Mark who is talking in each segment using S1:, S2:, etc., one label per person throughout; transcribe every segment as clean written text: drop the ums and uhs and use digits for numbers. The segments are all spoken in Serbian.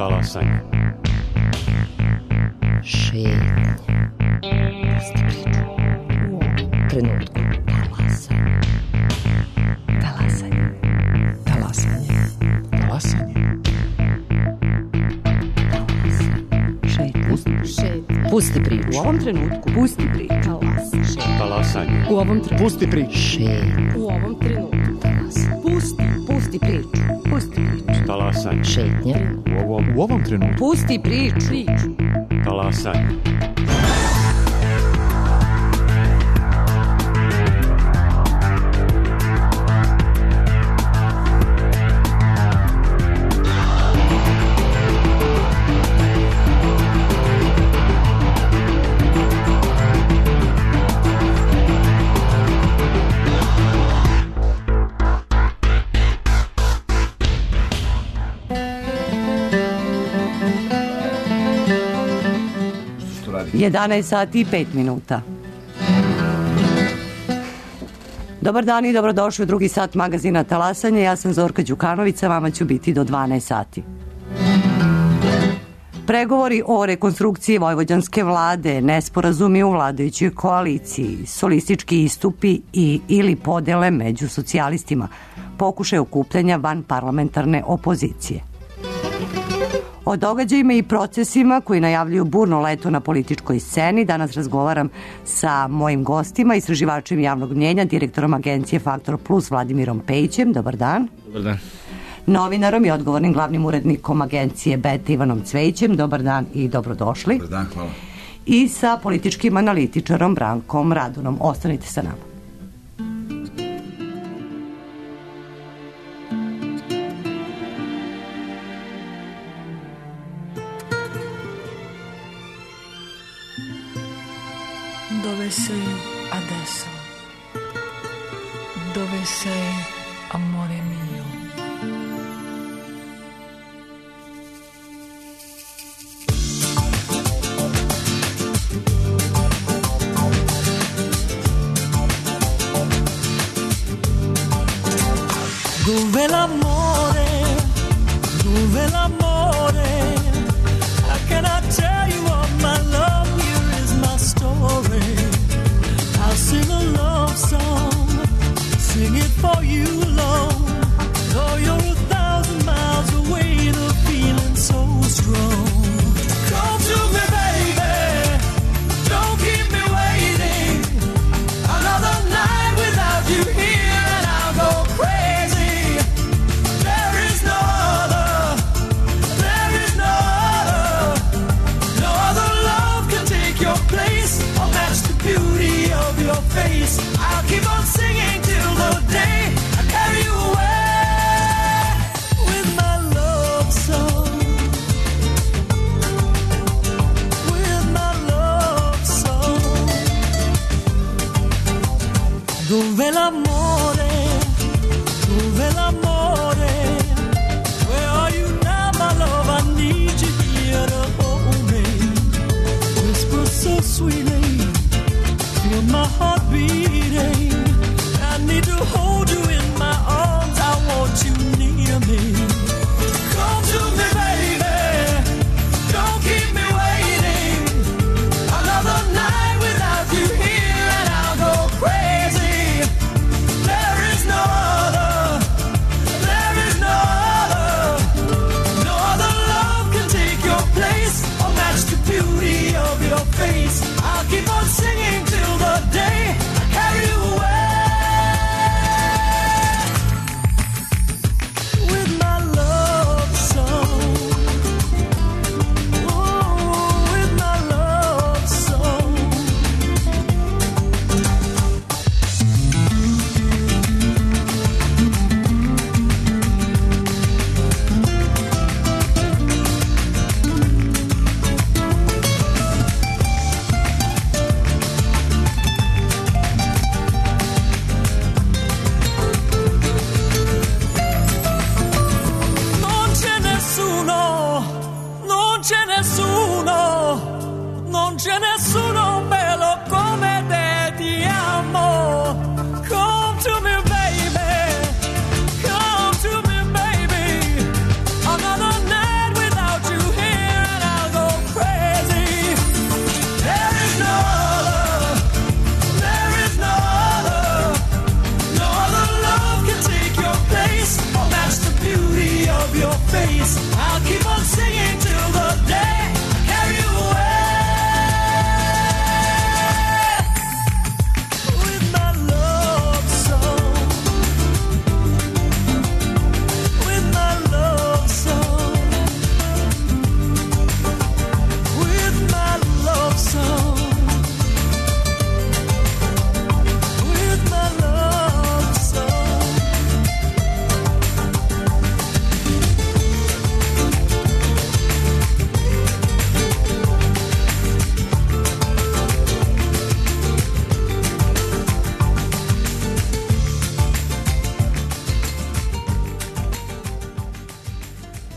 S1: Talasanje.
S2: Šetnje. Pusti priču. U ovom trenutku. Talasanje. Talasanje. Talasanje.
S1: Talasanje.
S2: Šetnje. Pusti priču.
S3: U ovom trenutku.
S2: Pusti priču.
S1: Talasanje.
S3: U ovom trenutku.
S1: Pusti priču.
S2: Šetnje.
S3: U ovom trenutku.
S2: Talasanje.
S3: Pusti priču. Pusti priču.
S1: Talasanje.
S2: Šetnje.
S1: U ovom trenutku.
S3: Pusti priču.
S1: Talasanje.
S3: Radi. 11 sati i 5 minuta. Dobar dan i dobrodošli u drugi sat magazina Talasanje. Ja sam Zorka Đukanović, a vama ću biti do 12 sati. Pregovori o rekonstrukciji vojvođanske vlade, nesporazumi u vladajućoj koaliciji, solistički istupi ili podele među socijalistima, pokušaj okupljanja van parlamentarne opozicije. O događajima i procesima koji najavljuju burno leto na političkoj sceni danas razgovaram sa mojim gostima, istraživačem javnog mnjenja, direktorom agencije Faktor Plus Vladimirom Pejićem. Dobar dan.
S1: Dobar dan.
S3: Novinarom i odgovornim glavnim urednikom agencije Beta Ivanom Cvejićem. Dobar dan i dobrodošli.
S4: Dobar dan, hvala.
S3: I sa političkim analitičarom Brankom Radunom. Ostanite sa nama.
S5: Dove sei adesso? Dove sei, amore mio? Dove l'amore? Dove l'amore? How can I tell you of my love? Here is my story. I'll sing a love song, sing it for you, Lord. Though you're 1,000 miles away, the feeling's so strong. Come to me, baby, don't keep me waiting. Another night without you here and I'll go crazy. There is no other, there is no other. No other love can take your place or match the beauty of your face. I'll keep on singing till the day I carry you away with my love song. With my love song. Dove l'amore? Dove l'amore? Where are you now, my love? I need you here to hold me. Whisper so sweetly, feel my heart beating. I need to hold you in my arms. I want you near me. Come to me, baby. Don't keep me waiting. Another night without you here and I'll go crazy. There is no other. There is no other. No other love can take your place or match the beauty of your face. I'll keep on singing till the day I carry you away.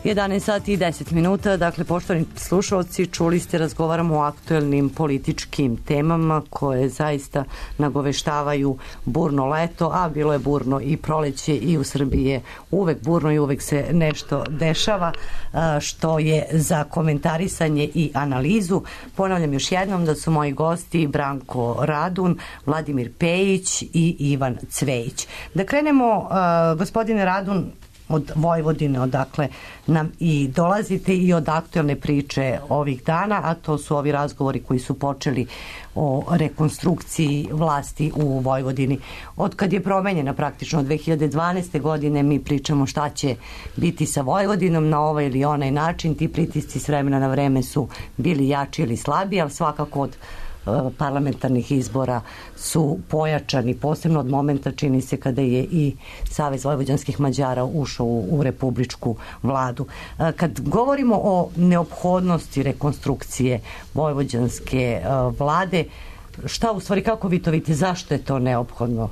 S3: 11 sati i 10 minuta, dakle, poštovani slušalci, čuli ste, razgovaramo o aktuelnim političkim temama koje zaista nagoveštavaju burno leto, a bilo je burno i proleće i u Srbiji je uvek burno i uvek se nešto dešava, što je za komentarisanje i analizu. Ponavljam još jednom da su moji gosti Branko Radun, Vladimir Pejić i Ivan Cvejić. Da krenemo, gospodine Radun, od Vojvodine, odakle nam i dolazite i od aktuelne priče ovih dana, a to su ovi razgovori koji su počeli o rekonstrukciji vlasti u Vojvodini. Od kad je promenjena praktično 2012. godine mi pričamo šta će biti sa Vojvodinom na ovaj ili onaj način. Ti pritisci s vremena na vreme su bili jači ili slabiji, ali svakako od parlamentarnih izbora su pojačani, posebno od momenta, čini se, kada je i Savez vojvođanskih Mađara ušao u republičku vladu. Kad govorimo o neophodnosti rekonstrukcije vojvođanske vlade, šta u stvari, kako vi to vidite, zašto je to neophodno?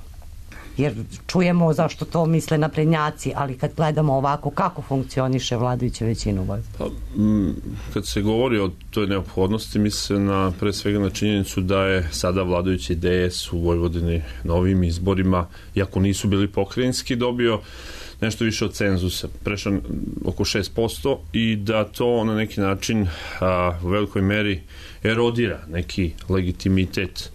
S3: Jer čujemo zašto to misle naprednjaci, ali kad gledamo ovako, kako funkcioniše vladajuća većina u Vojvodini?
S4: Kad se govori o toj neophodnosti, misle pre svega na činjenicu da je sada vladajući DS u Vojvodini na ovim izborima, iako nisu bili pokrajinski, dobio nešto više od cenzusa, prešao oko 6%, i da to na neki način u velikoj meri erodira neki legitimitet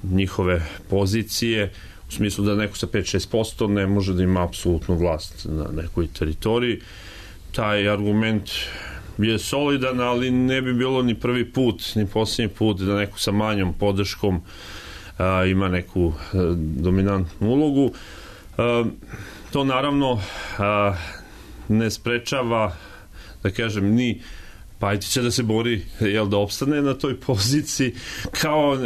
S4: njihove pozicije, u smislu da neko sa 5-6% ne može da ima apsolutnu vlast na nekoj teritoriji. Taj argument je solidan, ali ne bi bilo ni prvi put, ni posljednji put da neko sa manjom podrškom ima neku dominantnu ulogu. To naravno ne sprečava, da kažem, ni Pajtića da se bori, da opstane na toj poziciji, kao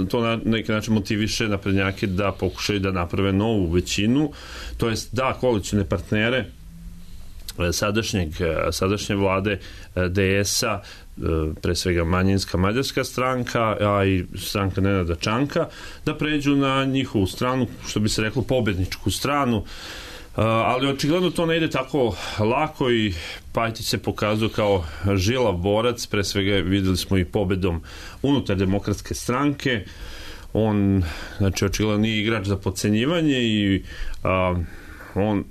S4: to na neki način motiviše naprednjake da pokušaju da naprave novu većinu, to jest da koalicione partnere sadašnje vlade DS-a, pre svega manjinska mađarska stranka, a i stranka Nenada Čanka, da pređu na njihovu stranu, što bi se reklo pobedničku stranu. Ali očigledno to ne ide tako lako i Pajtić se pokazao kao žilav borac, pre svega videli smo i pobedom unutar Demokratske stranke. On, znači, očigledno nije igrač za podcenjivanje i on,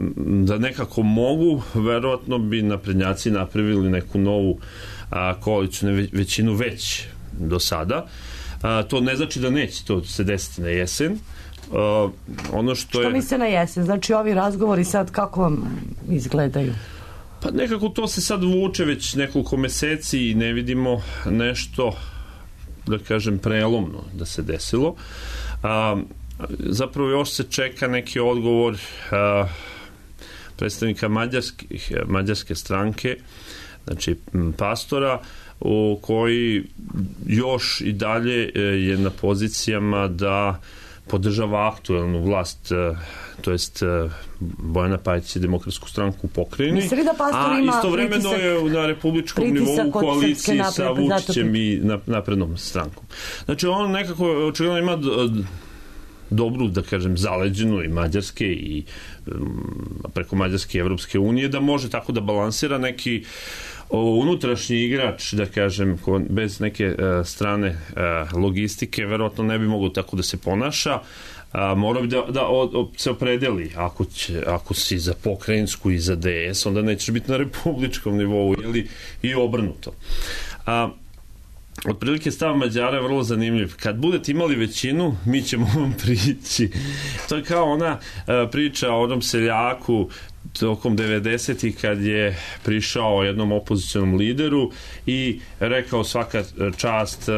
S4: da nekako mogu, verovatno bi naprednjaci napravili neku novu koalicijnu većinu već do sada. To ne znači da neće to se desiti na jesen. Ono što
S3: misle na jesen? Znači ovi razgovori sad kako vam izgledaju?
S4: Pa nekako to se sad vuče već nekoliko meseci i ne vidimo nešto, da kažem, prelomno da se desilo. Zapravo još se čeka neki odgovor predstavnika mađarske stranke, znači pastora, koji još i dalje je na pozicijama da podržava aktuelnu vlast, to jest Bojana Pajtića i Demokratsku stranku u pokrajini, a istovremeno je na republičkom nivou u koaliciji sa Vučićem i naprednom strankom. Znači on nekako očigledno ima dobru, da kažem, zaleđenu i mađarske i preko Mađarske i Evropske unije, da može tako da balansira neki unutrašnji igrač, da kažem, bez neke strane logistike, verovatno ne bi mogao tako da se ponaša. Mora bi da se opredeli. Ako si za pokrajinsku i za DS, onda nećeš biti na republičkom nivou ili i obrnuto. Otprilike stav Mađara je vrlo zanimljiv. Kad budete imali većinu, mi ćemo vam prići. To je kao ona priča o onom seljaku tokom 90-ih kad je prišao jednom opozicionom lideru i rekao svaka čast,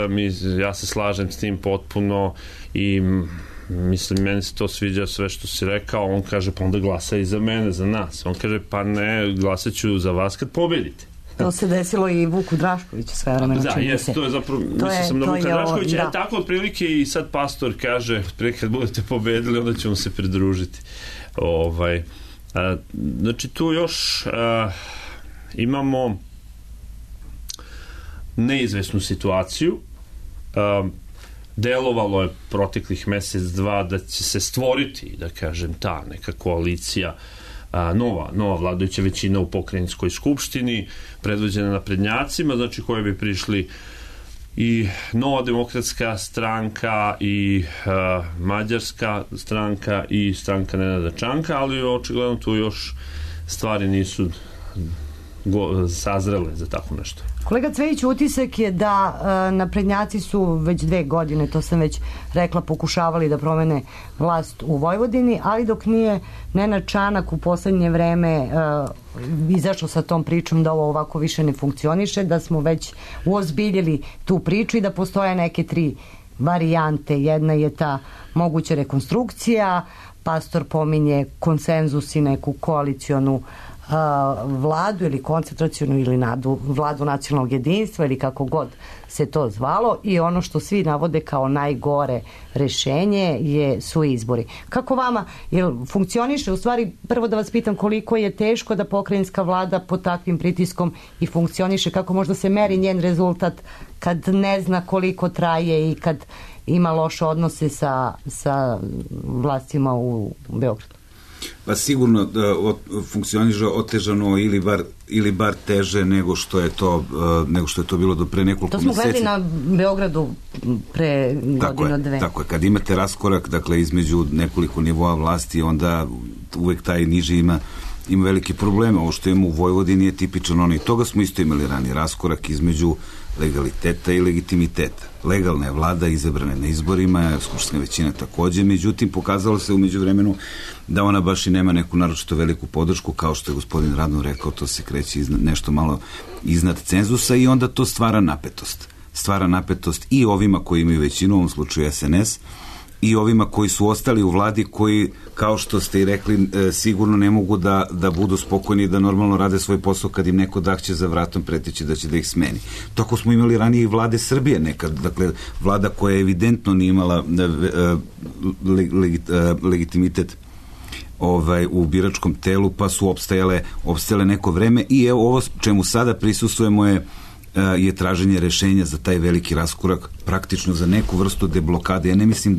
S4: ja se slažem s tim potpuno i mislim, meni se to sviđa sve što si rekao. On kaže, pa onda glasa i za mene, za nas. On kaže, pa ne, glasat ću za vas kad pobedite.
S3: To se desilo i Vuku Draškoviću sve vremena.
S4: Da, jes, to je zapravo, mislio sam na Vuka Draškovića, tako otprilike i sad pastor kaže, kad budete pobedili, onda ćemo se pridružiti. Znači, tu još imamo neizvesnu situaciju. Delovalo je proteklih mesec, dva da će se stvoriti, da kažem, ta neka koalicija nova vladajuća većina u pokrajinskoj skupštini, predvođena naprednjacima, znači koje bi prišli i Nova demokratska stranka i Mađarska stranka i stranka Nenada Čanka, ali očigledno tu još stvari nisu sazrele za tako nešto.
S3: Kolega Cvejić, utisak je da naprednjaci su već 2 godine, to sam već rekla, pokušavali da promene vlast u Vojvodini, ali dok nije Nenad Čanak u poslednje vreme izašao sa tom pričom da ovo ovako više ne funkcioniše, da smo već uozbiljili tu priču i da postoje neke 3 varijante. Jedna je ta moguća rekonstrukcija, pastor pominje konsenzus i neku koalicionu vladu ili koncentracionu ili vladu nacionalnog jedinstva ili kako god se to zvalo, i ono što svi navode kao najgore rešenje su izbori. Kako vama funkcioniše? U stvari, prvo da vas pitam koliko je teško da pokrajinska vlada pod takvim pritiskom i funkcioniše, kako možda se meri njen rezultat kad ne zna koliko traje i kad ima loše odnose sa vlastima u Beogradu?
S6: Pa sigurno da funkcioniše otežano ili bar teže nego što je to bilo do pre nekoliko meseci.
S3: To smo gledali na Beogradu pre godinu, 2.
S6: Tako je, kad imate raskorak, dakle, između nekoliko nivoa vlasti, onda uvek taj niži ima velike probleme. Ovo što imamo u Vojvodini je tipično i toga smo isto imali ranije, raskorak između legaliteta i legitimiteta. Legalna je vlada izabrana na izborima, skupštinska većina takođe, međutim pokazalo se umeđu vremenu da ona baš i nema neku naročito veliku podršku, kao što je gospodin Radno rekao, to se kreće nešto malo iznad cenzusa i onda to stvara napetost. Stvara napetost i ovima koji imaju većinu, u ovom slučaju SNS, i ovima koji su ostali u vladi, koji, kao što ste i rekli, sigurno ne mogu da budu spokojni i da normalno rade svoj posao kad im neko dahće za vratom preteći da će da ih smeni. Tako smo imali ranije i vlade Srbije nekad, dakle, vlada koja evidentno nije imala legitimitet u biračkom telu, pa su opstajale neko vreme, i evo ovo čemu sada prisustvujemo je traženje rešenja za taj veliki raskorak, praktično za neku vrstu deblokade. Ja ne mislim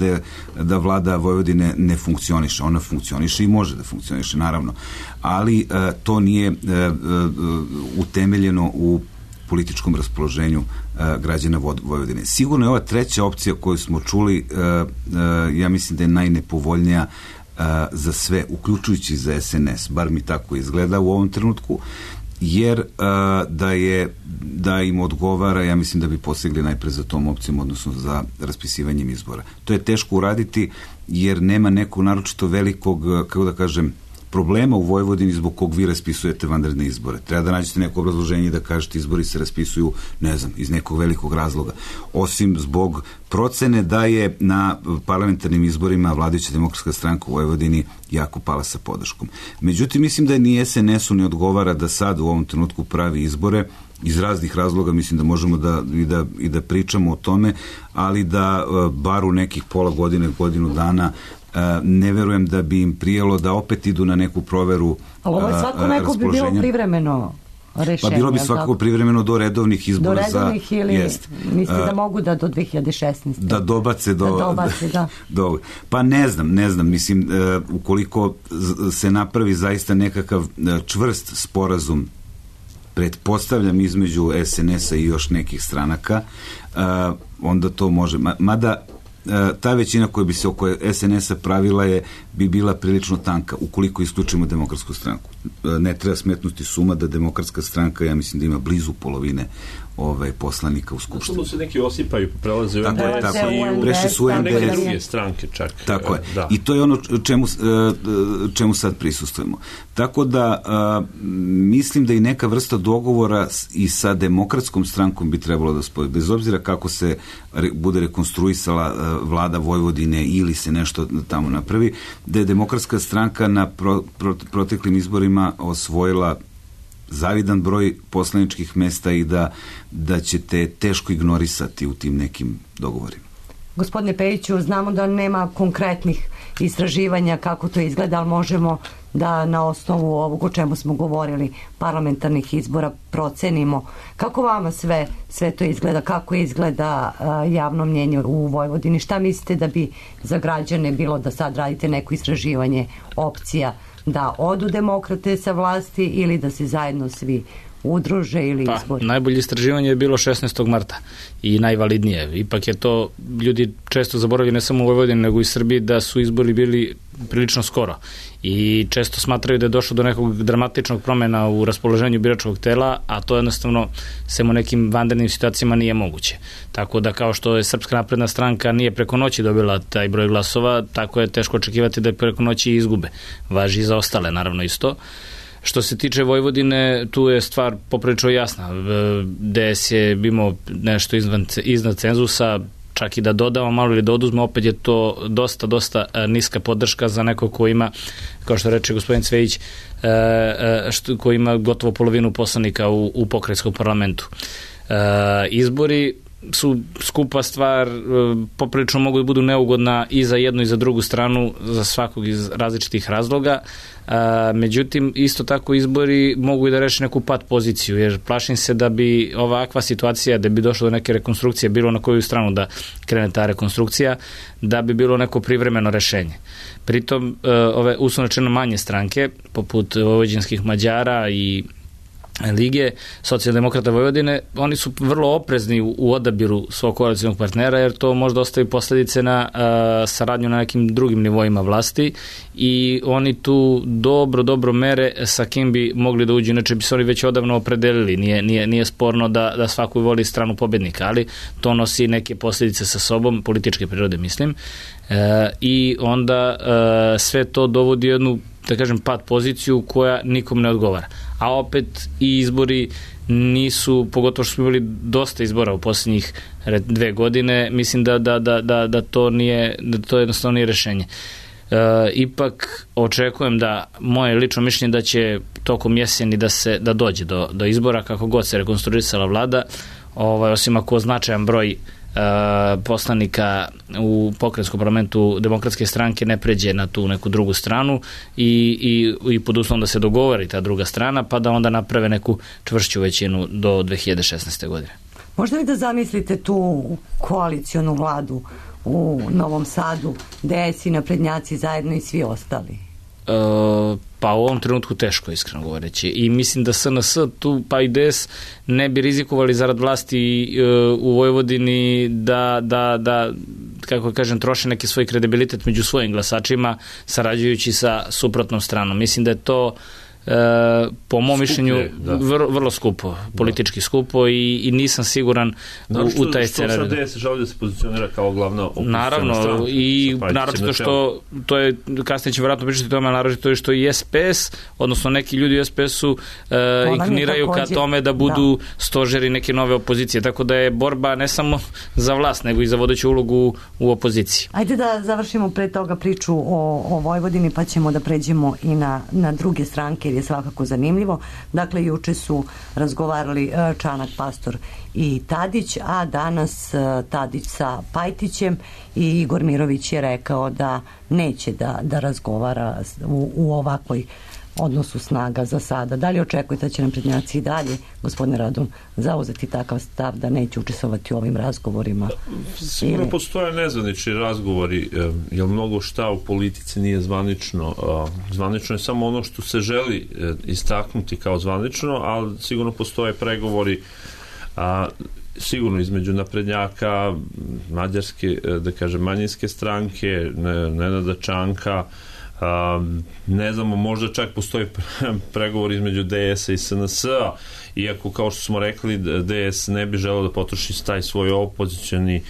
S6: da vlada Vojvodine ne funkcioniše. Ona funkcioniše i može da funkcioniše, naravno. Ali to nije utemeljeno u političkom raspoloženju građana Vojvodine. Sigurno je ova treća opcija koju smo čuli, ja mislim da je najnepovoljnija za sve, uključujući za SNS, bar mi tako izgleda u ovom trenutku, jer da im odgovara, ja mislim da bi posegli najpre za tom opcijom, odnosno za raspisivanjem izbora. To je teško uraditi jer nema nekog naročito velikog, kako da kažem, problema u Vojvodini zbog kog vi raspisujete vanredne izbore. Treba da nađete neko obrazloženje da kažete izbori se raspisuju, ne znam, iz nekog velikog razloga. Osim zbog procene da je na parlamentarnim izborima vladajuća demokratska stranka u Vojvodini jako pala sa podrškom. Međutim, mislim da ni SNS-u ne odgovara da sad u ovom trenutku pravi izbore, iz raznih razloga, mislim da možemo da pričamo o tome, ali da bar u nekih pola godine, godinu dana, ne verujem da bi im prijelo da opet idu na neku proveru
S3: raspoloženja. Ali ovo svako neko bi bilo privremeno rešenje.
S6: Pa bilo bi svakako privremeno do redovnih izbora.
S3: Do redovnih ili mislite da mogu da do 2016.
S6: Da dobace do... Pa ne znam, mislim, ukoliko se napravi zaista nekakav čvrst sporazum, pretpostavljam, između SNS-a i još nekih stranaka, onda to može. Mada ta većina koja bi se oko SNS-a pravila bi bila prilično tanka, ukoliko isključimo demokratsku stranku. Ne treba smetnuti suma da demokratska stranka, ja mislim da ima blizu polovine poslanika u Skupštini.
S4: Zato se neki osipaju, prelaze u NDS i
S6: prešli su u
S4: neke druge stranke čak.
S6: Tako je. Da. I to je ono čemu sad prisustujemo. Tako da mislim da i neka vrsta dogovora i sa demokratskom strankom bi trebalo da spoji. Bez obzira kako se bude rekonstruisala vlada Vojvodine ili se nešto tamo napravi, da je demokratska stranka na proteklim izborima osvojila zavidan broj poslaničkih mesta i da ćete teško ignorisati u tim nekim dogovorima.
S3: Gospodine Pejiću, znamo da nema konkretnih istraživanja kako to izgleda, ali možemo da na osnovu ovog o čemu smo govorili, parlamentarnih izbora, procenimo kako vama sve to izgleda, kako izgleda javno mnjenje u Vojvodini. Šta mislite da bi za građane bilo da sad radite neko istraživanje opcija da odu demokrate sa vlasti ili da se zajedno svi udruže ili izbori?
S7: Najbolje istraživanje je bilo 16. marta i najvalidnije. Ipak je to, ljudi često zaboravljaju ne samo u Vojvodini nego i Srbiji, da su izbori bili prilično skoro i često smatraju da je došlo do nekog dramatičnog promena u raspoloženju biračkog tela, a to jednostavno sem u nekim vanrednim situacijama nije moguće. Tako da kao što je Srpska napredna stranka nije preko noći dobila taj broj glasova, tako je teško očekivati da je preko noći izgube. Važi i za ostale, naravno isto. Što se tiče Vojvodine, tu je stvar poprilično jasna. DS je imao nešto iznad cenzusa, čak i da dodamo malo ili da oduzme, opet je to dosta niska podrška za neko ko ima, kao što reče gospodin Cvejić, ko ima gotovo polovinu poslanika u pokrajinskom parlamentu. Izbori su skupa stvar, poprilično mogu da budu neugodna i za jednu i za drugu stranu, za svakog iz različitih razloga. Međutim, isto tako izbori mogu i da reše neku pat poziciju, jer plašim se da bi ovakva situacija, da bi došlo do neke rekonstrukcije, bilo na koju stranu da krene ta rekonstrukcija, da bi bilo neko privremeno rešenje. Pritom, ove uslovno rečeno manje stranke, poput vojvođanskih Mađara i Lige socijaldemokrata Vojvodine, oni su vrlo oprezni u odabiru svog koalicijnog partnera, jer to možda ostavi posledice na saradnju na nekim drugim nivoima vlasti i oni tu dobro mere sa kim bi mogli da uđu, inače bi se oni već odavno opredelili, nije sporno da svako voli stranu pobednika, ali to nosi neke posljedice sa sobom, političke prirode mislim, i onda sve to dovodi jednu, da kažem, pad poziciju koja nikom ne odgovara. A opet i izbori nisu, pogotovo što smo imali dosta izbora u posljednjih 2 godine, mislim da to jednostavno nije rešenje. Ipak očekujem da, moje lično mišljenje da će tokom jeseni da dođe do izbora, kako god se rekonstruisala vlada, osim ako značajan broj poslanika u pokrajinskom parlamentu Demokratske stranke ne pređe na tu neku drugu stranu i pod uslovom da se dogovori ta druga strana, pa da onda naprave neku čvršću većinu do 2016. godine.
S3: Možda li da zamislite tu koalicionu vladu u Novom Sadu, DS i naprednjaci zajedno i svi ostali?
S7: Pa u ovom trenutku teško, iskreno govoreći. I mislim da SNS tu, pa i DS, ne bi rizikovali zarad vlasti u Vojvodini da kako kažem, troše neki svoj kredibilitet među svojim glasačima, sarađujući sa suprotnom stranom. Mislim da je to po mom mišljenju vrlo skupo, politički skupo i nisam siguran u taj scenarij.
S4: Što sad DS želi da se pozicionira kao glavna opoziciona stranka?
S7: Naravno, i naročito što, to je, kasnije će vjerojatno pričati o tome, naročito je što i SPS, odnosno neki ljudi u SPS-u inkliniraju ka tome da budu stožeri neke nove opozicije, tako da je borba ne samo za vlast, nego i za vodeću ulogu u opoziciji.
S3: Ajde da završimo pre toga priču o Vojvodini, pa ćemo da pređemo i na druge stranke, je svakako zanimljivo. Dakle, juče su razgovarali Čanak, Pastor i Tadić, a danas Tadić sa Pajtićem i Igor Mirović je rekao da neće da razgovara u ovakvoj odnosu snaga za sada. Da li očekujete da će naprednjaci i dalje, gospodine Radun, zauzeti takav stav da neće učestvovati u ovim razgovorima?
S4: Sigurno postoje nezvanični razgovori, jer mnogo šta u politici nije zvanično. Zvanično je samo ono što se želi istaknuti kao zvanično, ali sigurno postoje pregovori sigurno između naprednjaka, mađarske, da kažem, manjinske stranke, Nenada Čanka, ne znamo, možda čak postoji pregovor između DS-a i SNS-a, iako kao što smo rekli DS ne bi želeo da potroši taj svoj opozicioni,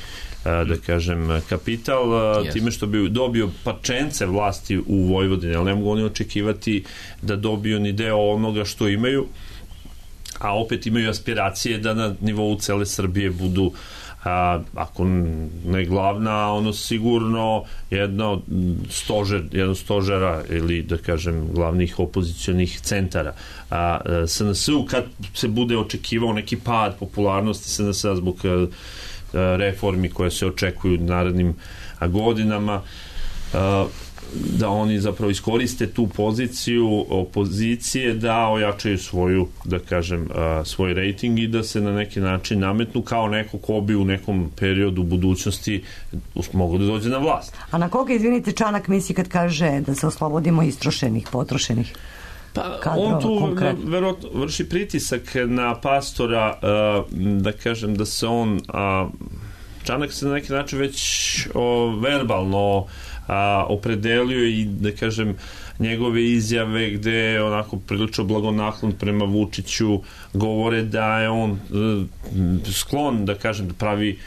S4: da kažem, kapital, time što bi dobio parčence vlasti u Vojvodini, ali ne mogu oni očekivati da dobiju ni deo onoga što imaju, a opet imaju aspiracije da na nivou cele Srbije budu, ako ne glavna, ono sigurno jedno stožera ili, da kažem, glavnih opozicionih centara. SNS-u, kad se bude očekivao neki pad popularnosti SNS-a zbog reformi koje se očekuju narednim godinama, da oni zapravo iskoriste tu poziciju opozicije da ojačaju svoju, da kažem, svoj rejting i da se na neki način nametnu kao neko ko bi u nekom periodu budućnosti mogu da dođe na vlast.
S3: A na koga, izvinite, Čanak misli kad kaže da se oslobodimo istrošenih, potrošenih?
S4: Pa
S3: kadrova,
S4: on tu
S3: konkretno
S4: verovatno vrši pritisak na Pastora, da kažem da se on Čanak se na neki način već verbalno opredelio i da kažem njegove izjave gde je onako prilično blagonaklon prema Vučiću govore da je on sklon, da kažem, da pravi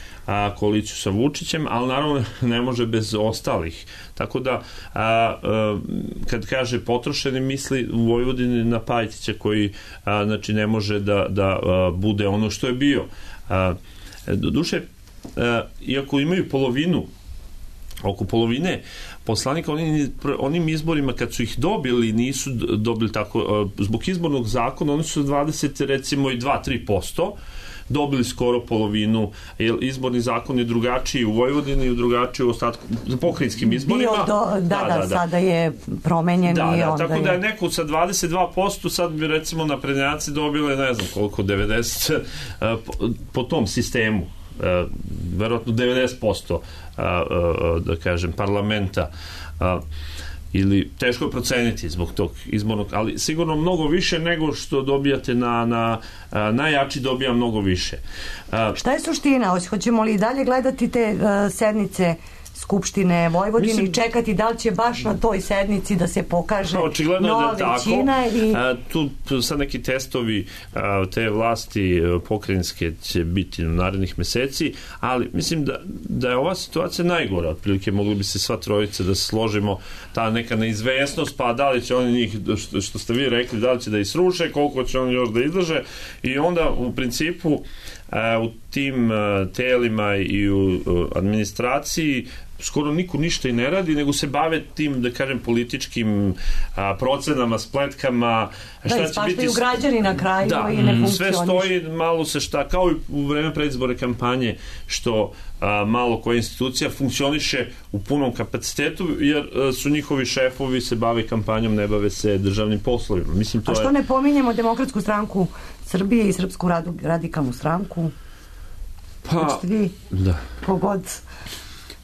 S4: koaliciju sa Vučićem, ali naravno ne može bez ostalih. Tako da kad kaže potrošeni, misli u Vojvodini na Pajtića koji znači ne može da bude ono što je bio. Doduše, iako imaju oko polovine poslanika, onim izborima kad su ih dobili, nisu dobili tako, zbog izbornog zakona oni su 20, recimo i 2-3%, dobili skoro polovinu, jer izborni zakon je drugačiji u Vojvodini i drugačiji u ostatku pokrajinskim izborima.
S3: Sada je promenjen i onda
S4: tako da je neko sa 22%, sad bi recimo naprednjaci dobile, ne znam koliko, 90% po tom sistemu. Verovatno 90% da kažem parlamenta ili teško je proceniti zbog tog izbornog, ali sigurno mnogo više nego što dobijate na najjači dobija mnogo više.
S3: Šta je suština? Hoćemo li i dalje gledati te sednice Skupštine Vojvodine i čekati da li će baš na toj sednici da se pokaže nova većina?
S4: Tu sad neki testovi te vlasti pokrajinske će biti u narednih meseci, ali mislim da je ova situacija najgora. Otprilike mogli bi se sva trojica da se složimo, ta neka neizvesnost, pa da li će oni njih, što ste vi rekli, da li će da isruše, koliko će oni još da izdrže, i onda u principu u tim telima i u administraciji skoro niko ništa i ne radi, nego se bave tim, da kažem, političkim procenama, spletkama.
S3: Da, ispaštaju građani na kraju i ne funkcioniš.
S4: Sve stoji, malo se kao i u vreme predizborne kampanje, što malo koja institucija funkcioniše u punom kapacitetu, jer su njihovi šefovi se bave kampanjom, ne bave se državnim poslovima. Mislim, to
S3: što ne pominjemo Demokratsku stranku Srbije i Srpsku radikalnu stranku?
S4: Pa, da.
S3: Kogod...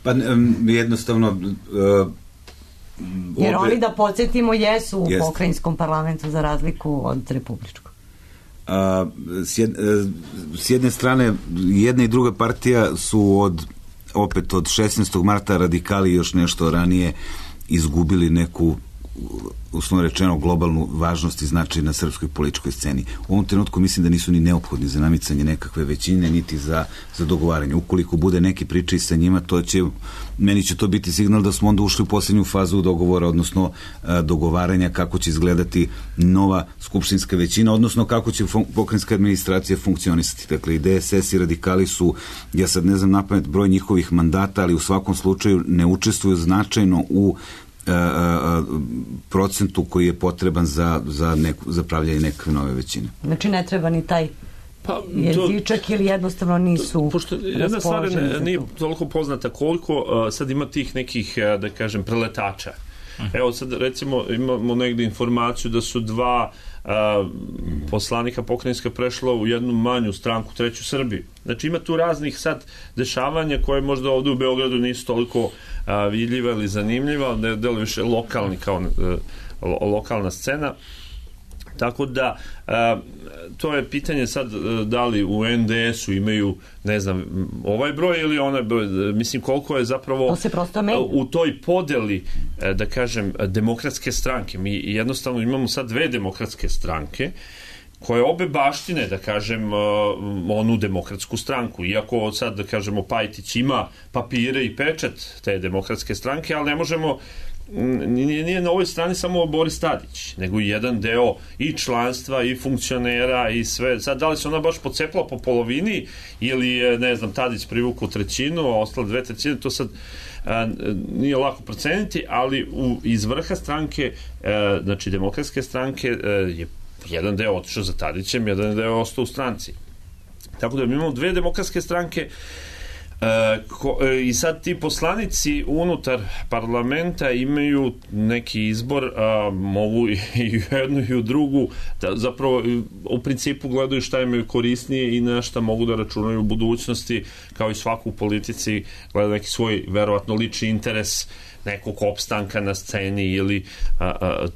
S6: Pa jednostavno
S3: jer oni, da podsjetimo, jesu u pokrajinskom parlamentu za razliku od republičkog.
S6: S jedne strane, jedna i druga partija su opet od 16. marta radikali još nešto ranije izgubili neku, uslovno rečeno, globalnu važnost i značaj na srpskoj političkoj sceni. U ovom trenutku mislim da nisu ni neophodni za namicanje nekakve većine, niti za dogovaranje. Ukoliko bude neki pričaj sa njima, meni će to biti signal da smo onda ušli u posljednju fazu dogovora, odnosno dogovaranja kako će izgledati nova skupštinska većina, odnosno kako će pokrajinska administracija funkcionisati. Dakle, i DSS i radikali su, ja sad ne znam napamet broj njihovih mandata, ali u svakom slučaju ne učestvuju značajno u procentu koji je potreban za pravljanje nekakve nove većine.
S3: Znači ne treba ni taj jezičak ili jednostavno nisu
S4: pošto jedna stvar nije toliko poznata koliko sad ima tih nekih, da kažem, preletača. Evo sad recimo imamo negde informaciju da su dva poslanika pokrajinska prešla u jednu manju stranku, Treću Srbiju. Znači ima tu raznih sad dešavanja koje možda ovde u Beogradu nisu toliko vidljiva ili zanimljiva, ne delo više lokalni kao lokalna scena. Tako da to je pitanje sad da li u NDS-u imaju, ne znam, ovaj broj ili onaj broj, mislim koliko je zapravo u toj podeli, da kažem, demokratske stranke. Mi jednostavno imamo sad dve demokratske stranke koje obe baštine, da kažem, onu demokratsku stranku. Iako sad, da kažemo, Pajtić ima papire i pečat te demokratske stranke, ali ne možemo, nije na ovoj strani samo Boris Tadić, nego i jedan deo i članstva i funkcionera i sve. Sad, da li se ona baš pocepla po polovini ili je, ne znam, Tadić privukao trećinu, a ostale 2/3, to sad nije lako proceniti, ali iz vrha stranke, znači demokratske stranke, je jedan deo otišao za Tadićem, jedan deo ostao u stranci. Tako da mi imamo dve demokratske stranke, I sad ti poslanici unutar parlamenta imaju neki izbor, mogu i u jednu i u drugu, da zapravo u principu gledaju šta imaju korisnije i na šta mogu da računaju u budućnosti, kao i svaku u politici gleda neki svoj verovatno lični interes nekog opstanka na sceni ili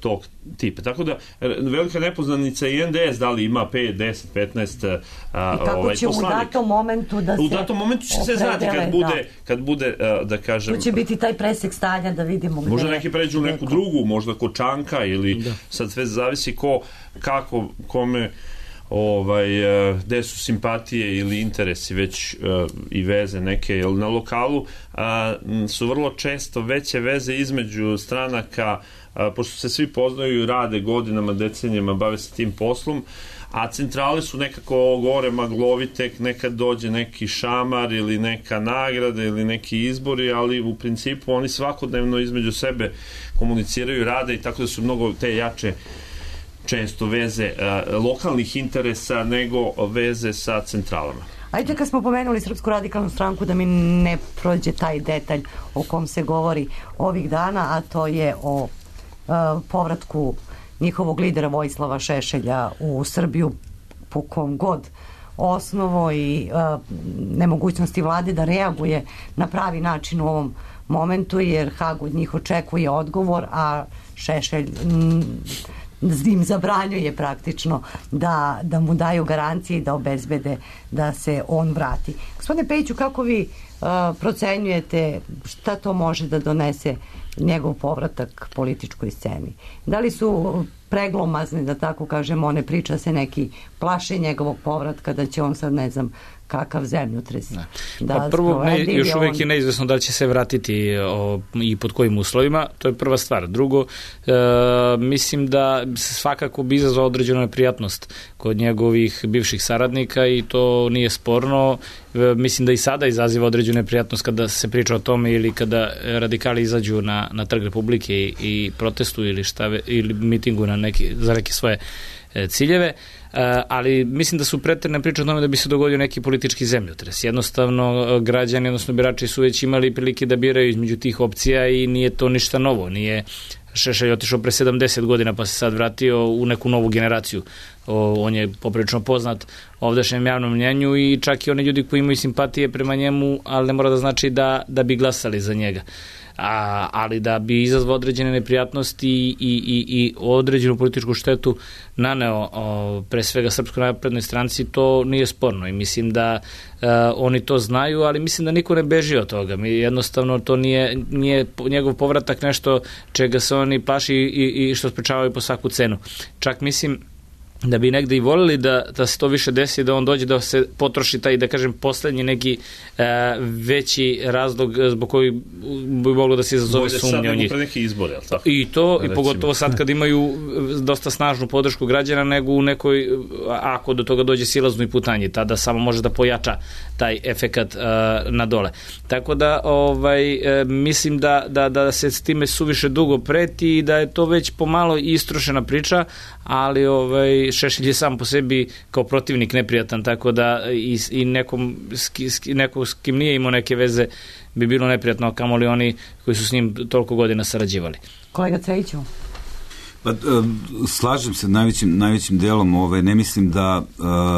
S4: tog tipa. Tako da velika nepoznanica i NDS da li ima 5, 10, 15
S3: i kako će
S4: poslanika.
S3: U datom momentu da se
S4: u datom momentu će se znati kad bude da kažem...
S3: Tu će biti taj presek stanja da vidimo gde...
S4: Možda neki pređu u neku drugu, možda kod Čanka ili sad sve zavisi kako, kome gde su simpatije ili interesi već i veze neke, jer na lokalu su vrlo često veće veze između stranaka, pošto se svi poznaju i rade godinama, decenijama, bave se tim poslom, a centrale su nekako gore maglovite, nekad dođe neki šamar ili neka nagrada ili neki izbori, ali u principu oni svakodnevno između sebe komuniciraju, rade i tako da su mnogo te jače često veze lokalnih interesa nego veze sa centralama.
S3: Ajde, kad smo pomenuli Srpsku radikalnu stranku, da mi ne prođe taj detalj o kom se govori ovih dana, a to je o povratku njihovog lidera Vojislava Šešelja u Srbiju po kom god osnovu i nemogućnosti vlade da reaguje na pravi način u ovom momentu, jer Hag od njih očekuje odgovor, a Šešelj im zabranjuje praktično da mu daju garancije i da obezbede da se on vrati. Gospodine Pejiću, kako vi procenjujete šta to može da donese njegov povratak političkoj sceni? Da li su preglomazni, da tako kažemo, one priča se neki plaše njegovog povratka, da će on sad ne znam kakav zemljotres.
S7: Prvo, još uvijek je neizvesno da li će se vratiti i pod kojim uslovima, to je prva stvar. Drugo, mislim da svakako bi izazvao određenu neprijatnost kod njegovih bivših saradnika i to nije sporno. Mislim da i sada izaziva određenu neprijatnost kada se priča o tome ili kada radikali izađu na Trg Republike i protestuju ili mitingu za neke svoje ciljeve, ali mislim da su pretjerane priče o tome da bi se dogodio neki politički zemljotres. Jednostavno, građani, odnosno birači su već imali prilike da biraju između tih opcija i nije to ništa novo. Nije Šešelj otišao pre 70 godina pa se sad vratio u neku novu generaciju. On je poprilično poznat ovdašnjem javnom mnjenju i čak i oni ljudi koji imaju simpatije prema njemu, ali ne mora da znači da bi glasali za njega. Ali da bi izazvao određene neprijatnosti i određenu političku štetu naneo pre svega Srpskoj naprednoj stranci, to nije sporno i mislim da oni to znaju, ali mislim da niko ne beži od toga. Jednostavno to nije njegov povratak nešto čega se oni plaši i što sprečavaju po svaku cenu. Čak mislim da bi negde i volili da se to više desi, da on dođe da se potroši taj, da kažem, poslednji neki veći razlog zbog koji bi moglo da se izazove sumnje o njih.
S4: Izbore,
S7: i to, i pogotovo sad kad imaju dosta snažnu podršku građana, nego u nekoj, ako do toga dođe silaznoj putanji, tada samo može da pojača taj efekat na dole. Tako da mislim da se s time suviše dugo preti i da je to već pomalo istrošena priča, ali Šešelj je sam po sebi kao protivnik neprijatan, tako da i neko s kim nije imao neke veze bi bilo neprijatno, kamoli oni koji su s njim toliko godina sarađivali.
S3: Kolega Cejiću?
S6: Slažem se najvećim delom, ne mislim da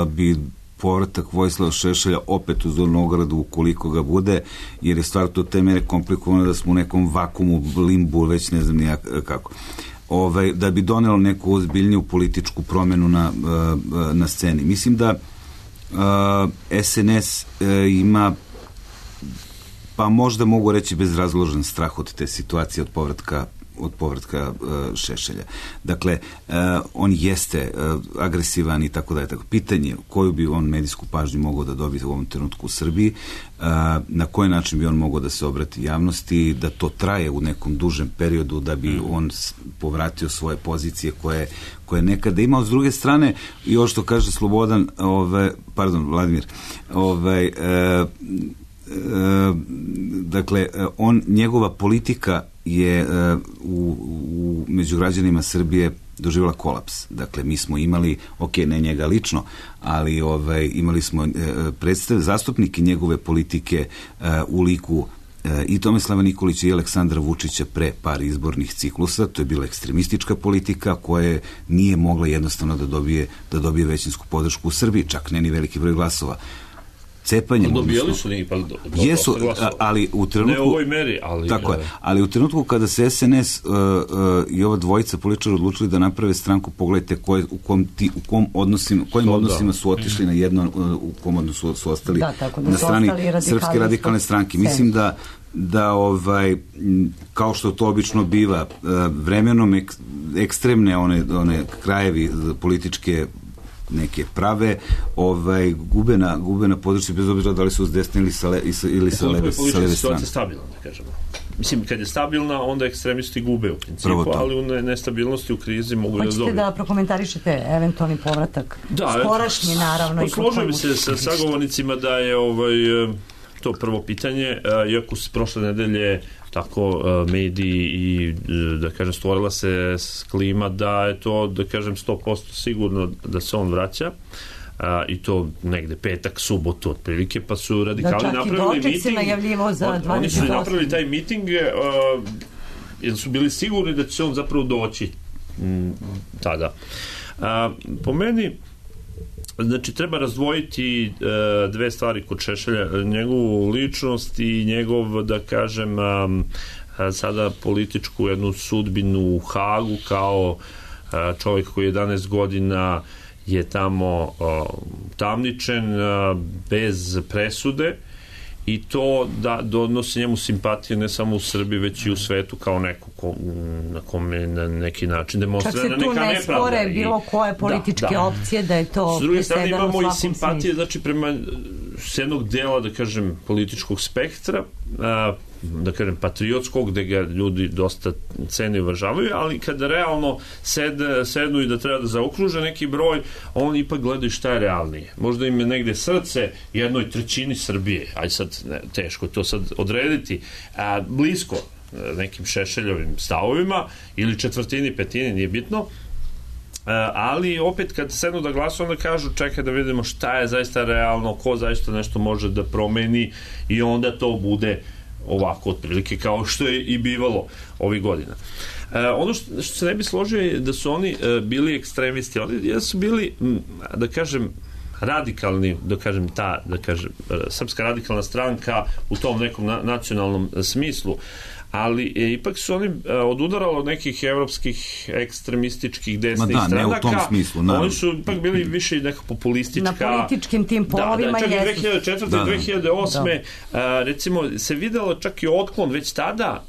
S6: bi povratak Vojislava Šešelja opet u Zornu ogradu ukoliko ga bude, jer je stvar to te mere komplikovano da smo u nekom vakumu, limbu, već ne znam nijak kako. Da bi donelo neku ozbiljniju političku promenu na sceni. Mislim da SNS ima, pa možda mogu reći bezrazložen strah od te situacije, od povratka Šešelja. Dakle, on jeste agresivan i tako dalje. Pitanje koju bi on medijsku pažnju mogao da dobije u ovom trenutku u Srbiji, na koji način bi on mogao da se obrati javnosti, da to traje u nekom dužem periodu, da bi on povratio svoje pozicije koje nekada imao. S druge strane, i ovo što kaže Slobodan, Vladimir, dakle, njegova politika je među građanima Srbije doživjela kolaps. Dakle, mi smo imali, ne njega lično, ali imali smo zastupnike njegove politike u liku i Tomislava Nikolića i Aleksandra Vučića pre par izbornih ciklusa. To je bila ekstremistička politika koja nije mogla jednostavno da dobije većinsku podršku u Srbiji, čak ne ni veliki broj glasova. Cepanjem,
S4: dobijali su ipak
S6: jesu, ali u trenutku,
S4: ne u ovoj meri, ali
S6: tako je, ali u trenutku kada se SNS i ova dvojica političara odlučili da naprave stranku, pogledajte kojim odnosima su otišli na jedno, u kom odnosu su ostali na strani Srpske radikalne stranke. Mislim da kao što to obično biva, vremenom ekstremne one krajevi političke neke prave, gube na području, bez obzira da li su s desne ili sa leve strane.
S4: Situacija stabilna, da kažemo. Mislim, kad je stabilna, onda ekstremisti gube u principu, ali u nestabilnosti, u krizi mogu da dobiju.
S3: Hoćete da prokomentarišete eventualni povratak? Skorašnji, naravno.
S4: Složio bi se sa sagovornicima da je to prvo pitanje, iako se prošle nedelje tako mediji i, da kažem, stvorila se klima da je to, da kažem, 100% sigurno da se on vraća, i to negde petak, subotu otprilike, pa su radikali napravili miting. Oni su napravili taj miting jer su bili sigurni da će on zapravo doći tada. Po meni, znači, treba razdvojiti dve stvari kod Šešelja, njegovu ličnost i njegov, da kažem, sada političku jednu sudbinu u Hagu, kao čovjek koji 11 godina je tamo tamničen bez presude, i to da donosi njemu simpatije ne samo u Srbiji, već i u svetu, kao neko na kome na neki način demonstrira neka nepravda.
S3: Čak se tu ne spore bilo koje političke opcije da je to presedano u svakom smislu. S druge strane imamo i simpatije, znači, prema s jednog dela, da kažem, političkog spektra, da kažem, patriotskog, gde ga ljudi dosta cene i uvažavaju, ali kada realno sednu i da treba da zaokruže neki broj, oni ipak gledaju šta je realnije. Možda im je negde srce 1/3 Srbije, aj sad, teško to sad odrediti, blisko nekim Šešeljovim stavovima, ili 1/4, 1/5, nije bitno, ali opet kad sednu da glasuju, onda kažu čekaj da vidimo šta je zaista realno, ko zaista nešto može da promeni, i onda to bude ovako otprilike kao što je i bivalo ovih godina. Ono što se ne bi složio je da su oni bili ekstremisti, oni su bili, da kažem, radikalni, da kažem, Srpska radikalna stranka u tom nekom nacionalnom smislu, ali ipak su oni odudarali od nekih evropskih ekstremističkih desnih stranaka.
S6: Ne u tom smislu, naravno.
S4: Oni su ipak bili više neka populistička.
S3: Na političkim tim polovima
S4: čak i 2004. 2008. Recimo, se videlo čak i otklon već tada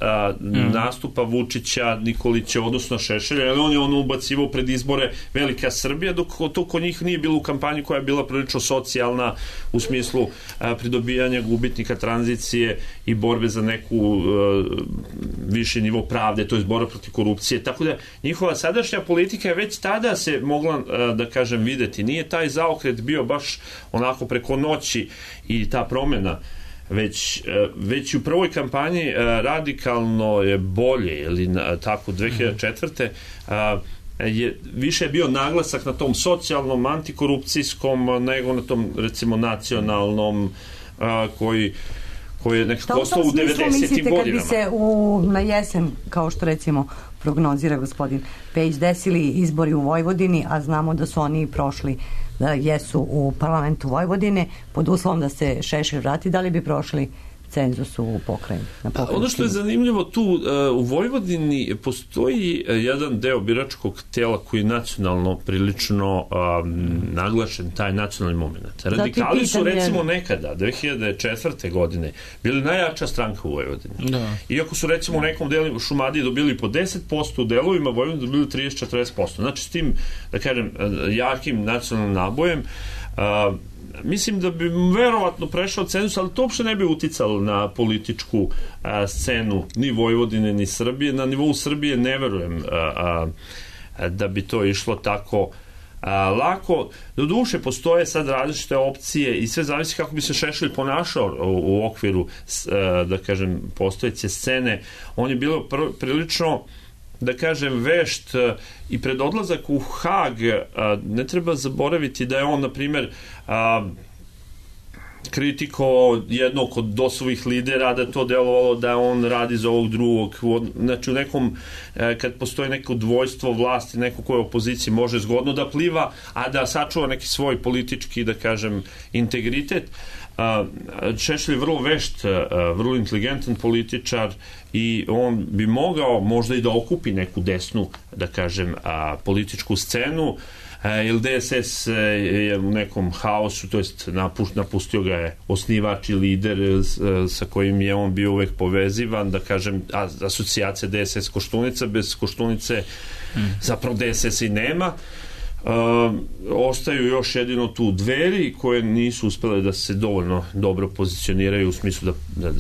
S4: nastupa Vučića, Nikolića, odnosno Šešelja, jer on je ubacivao pred izbore Velika Srbija, dok to kod njih nije bilo u kampanji koja je bila prilično socijalna u smislu pridobijanja gubitnika tranzicije i borbe za neku viši nivo pravde, to je borba protiv korupcije, tako da njihova sadašnja politika je već tada se mogla, da kažem, videti. Nije taj zaokret bio baš onako preko noći i ta promena, već u prvoj kampanji radikalno je bolje, ili tako 2004. Više je bio naglasak na tom socijalnom, antikorupcijskom, nego na tom, recimo, nacionalnom, koji je nekako ostao u 90-im godinama.
S3: Kad bi se na jesen, kao što recimo prognozira gospodin Pejić, desili izbori u Vojvodini, a znamo da su oni prošli, da jesu u parlamentu Vojvodine, pod uslovom da se Šešelj vrati, da li bi prošli cenzus u pokrajini?
S4: Ono što je zanimljivo tu, u Vojvodini postoji jedan deo biračkog tela koji je nacionalno prilično naglašen, taj nacionalni moment. Radikali su, recimo, nekada 2004. godine bili najjača stranka u Vojvodini. Iako su, recimo, u nekom delu Šumadije dobili po 10%, u delovima Vojvodine dobili 30-40%. Znači, s tim, da kažem, jakim nacionalnim nabojem, mislim da bi verovatno prešao cenzus, ali to uopšte ne bi uticalo na političku scenu ni Vojvodine, ni Srbije. Na nivou Srbije ne verujem da bi to išlo tako lako. Do duše postoje sad različite opcije i sve zavisi kako bi se Šešelj ponašao u okviru, da kažem, postojeće scene. On je bilo prilično, da kažem, vešt i pred odlazak u Hag ne treba zaboraviti da je on, na primjer, kritikovao jednog od DOS-ovih lidera, da to delovalo da on radi za ovog drugog. Znači u nekom, kad postoji neko dvojstvo vlasti, neko ko je u opoziciji može zgodno da pliva, a da sačuva neki svoj politički, da kažem, integritet. Šešelj je vrlo vešt, vrlo inteligentan političar i on bi mogao možda i da okupi neku desnu, da kažem, političku scenu, jer DSS je u nekom haosu, to jest napustio ga je osnivač i lider sa kojim je on bio uvek povezivan, da kažem, asocijacija DSS Koštunica, bez Koštunice zapravo DSS i nema. Ostaju još jedino tu Dveri koje nisu uspele da se dovoljno dobro pozicioniraju u smislu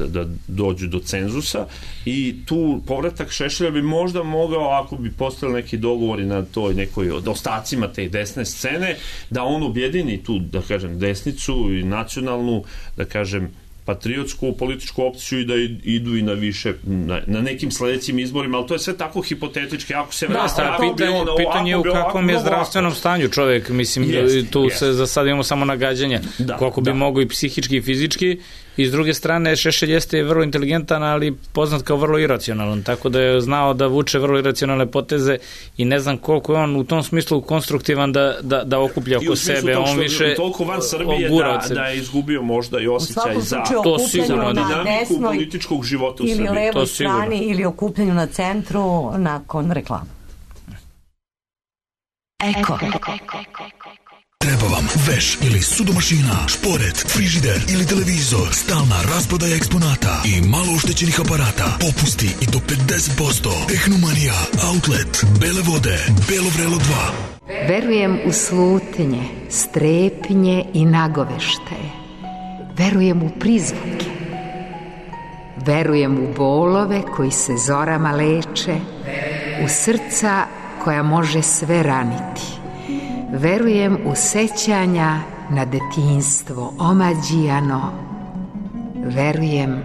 S4: da dođu do cenzusa i tu povratak Šešelja bi možda mogao, ako bi postali neki dogovori na toj nekoj od ostacima te desne scene, da on objedini tu, da kažem, desnicu i nacionalnu, da kažem, patriotsku političku opciju i da idu i na više, na nekim sledećim izborima, ali to je sve tako hipotetički. Ako se vrati,
S7: pitanje je u kakvom je zdravstvenom stanju čovek, mislim, tu se za sad imamo samo nagađanja, koliko bi mogo i psihički i fizički, i s druge strane Šešelj jeste vrlo inteligentan, ali poznat kao vrlo iracionalan, tako da je znao da vuče vrlo iracionalne poteze i ne znam koliko je on u tom smislu konstruktivan da okuplja oko sebe. On više
S4: toliko van Srbije da je izgubio možda i osjećaj za
S3: to sigurno
S4: dinamiku političkog života u Srbiji.
S3: Ili levoj strani ili okupljanju na centru nakon reklama.
S8: Eko. Treba vam veš ili sudomašina, šporet, frižider ili televizor, stalna rasprodaja eksponata i malo oštećenih aparata, popusti i do 50%. Tehnomanija, Outlet, Bele vode, Belo vrelo 2.
S2: Verujem u slutnje, strepnje i nagoveštaje. Verujem u prizvuke. Verujem u bolove koji se zorama leče, u srca koja može sve raniti. Verujem u sećanja na detinjstvo omađijano. Verujem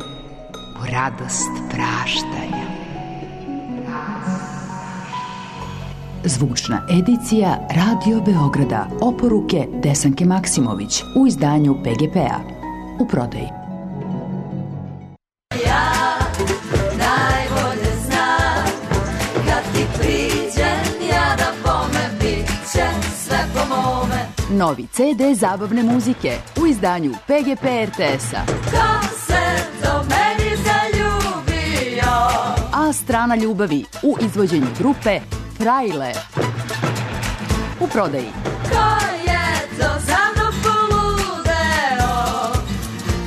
S2: u radost praštanja.
S9: Zvučna edicija Radio Beograda. Oporuke Desanke Maksimović u izdanju PGP-a. U prodaji.
S5: Ja najbolje znam kad ti priđem ja da bome bit će sve po mome.
S9: Novi CD zabavne muzike u izdanju PGP RTS-a.
S5: Ko se do meni zaljubio?
S9: A strana ljubavi u izvođenju grupe Frajle. U prodaji.
S5: Ko je to za mnom poludeo?